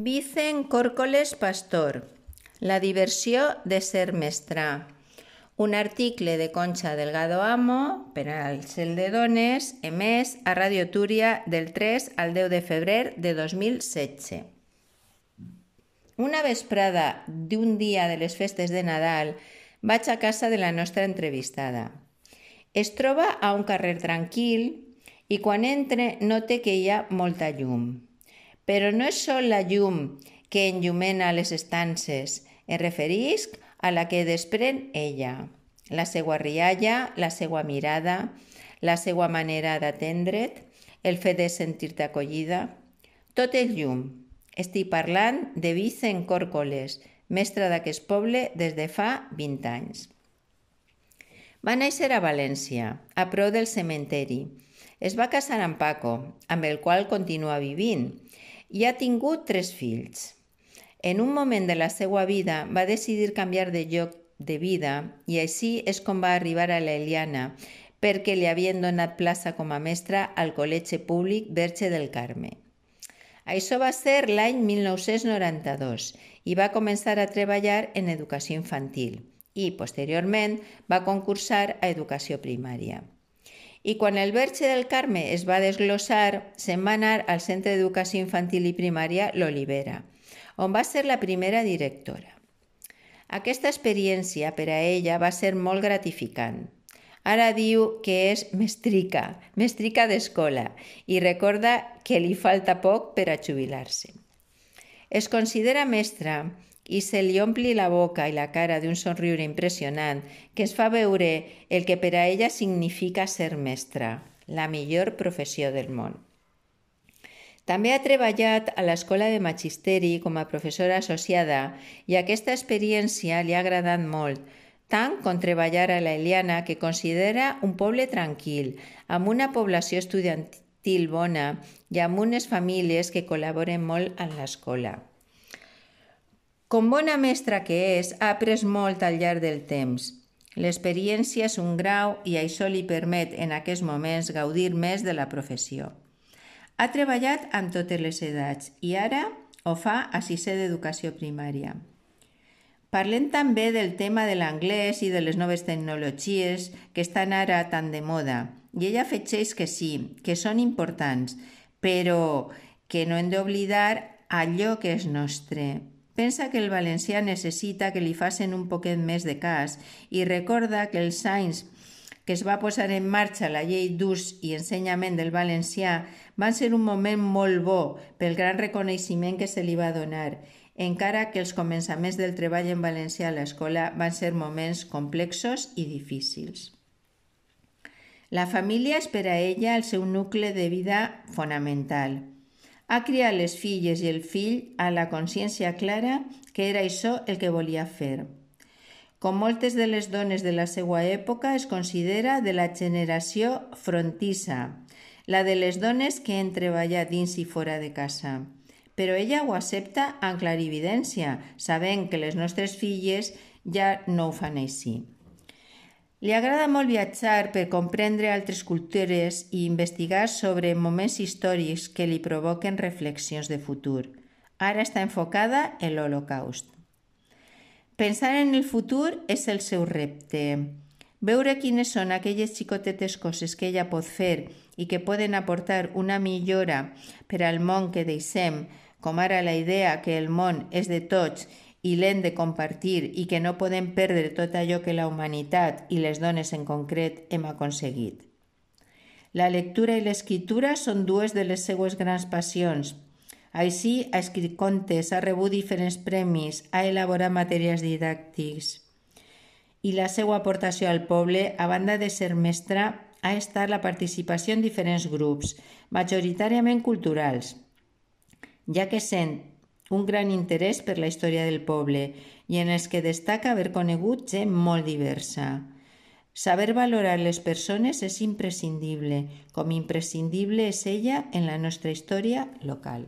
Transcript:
Vicent Córcoles Pastor, La diversió de ser mestra. Un article de Concha Delgado Amo per al Cel de Dones, emès a Radio Túria del 3 al 10 de febrer de 2016. Una vesprada d'un dia de les festes de Nadal vaig a casa de la nostra entrevistada. Es troba a un carrer tranquil i quan entre note que hi ha molta llum. Però no és sol la llum que enllumena les estances, em referisc a la que desprèn ella. La seua rialla, la seua mirada, la seua manera d'atendre't, el fet de sentir-te acollida. Tot és llum. Estic parlant de Vicent Córcoles, mestra d'aquest poble des de fa 20 anys. Va néixer a València, a prop del cementeri. Es va casar amb Paco, amb el qual continua vivint, i ha tingut 3 fills. En un moment de la seva vida va decidir canviar de lloc de vida i així és com va arribar a l'Eliana, perquè li havien donat plaça com a mestra al Col·legi Públic Verge del Carme. Això va ser l'any 1992 i va començar a treballar en educació infantil i, posteriorment, va concursar a educació primària. I quan el Verge del Carme es va desglossar, se'n va anar al Centre d'Educació Infantil i Primària l'Olivera, on va ser la primera directora. Aquesta experiència per a ella va ser molt gratificant. Ara diu que és mestrica d'escola, i recorda que li falta poc per a jubilar-se. Es considera mestra i se li ompli la boca i la cara d'un somriure impressionant que es fa veure el que per a ella significa ser mestra, la millor professió del món. També ha treballat a l'Escola de Magisteri com a professora associada i aquesta experiència li ha agradat molt, tant com treballar a l'Eliana, que considera un poble tranquil, amb una població estudiantil bona i amb unes famílies que col·laboren molt en l'escola. Com bona mestra que és, ha après molt al llarg del temps. L'experiència és un grau i això li permet en aquests moments gaudir més de la professió. Ha treballat amb totes les edats i ara ho fa a 6è d'educació primària. Parlem també del tema de l'anglès i de les noves tecnologies que estan ara tan de moda. I ella afegeix que sí, que són importants, però que no hem d'oblidar allò que és nostre. Pensa que el valencià necessita que li facin un poquet més de cas i recorda que els anys que es va posar en marxa la llei d'ús i ensenyament del valencià van ser un moment molt bo pel gran reconeixement que se li va donar, encara que els començaments del treball en valencià a l'escola van ser moments complexos i difícils. La família és per a ella el seu nucli de vida fonamental. Ha criat les filles i el fill a la consciència clara que era això el que volia fer. Com moltes de les dones de la seva època, es considera de la generació frontissa, la de les dones que han treballat dins i fora de casa. Però ella ho accepta amb clarividència, sabent que les nostres filles ja no ho fan així. Li agrada molt viatjar per comprendre altres cultures i investigar sobre moments històrics que li provoquen reflexions de futur. Ara està enfocada en l'Holocaust. Pensar en el futur és el seu repte. Veure quines són aquelles xicotetes coses que ella pot fer i que poden aportar una millora per al món que deixem, com ara la idea que el món és de tots i l'hem de compartir i que no podem perdre tot allò que la humanitat i les dones en concret hem aconseguit. La lectura i l'escriptura són 2 de les seues grans passions. Així, ha escrit contes, ha rebut diferents premis, ha elaborat materials didàctics. I la seva aportació al poble, a banda de ser mestra, ha estat la participació en diferents grups, majoritàriament culturals, ja que sent un gran interès per la història del poble i en els que destaca haver conegut gent molt diversa. Saber valorar les persones és imprescindible, com imprescindible és ella en la nostra història local.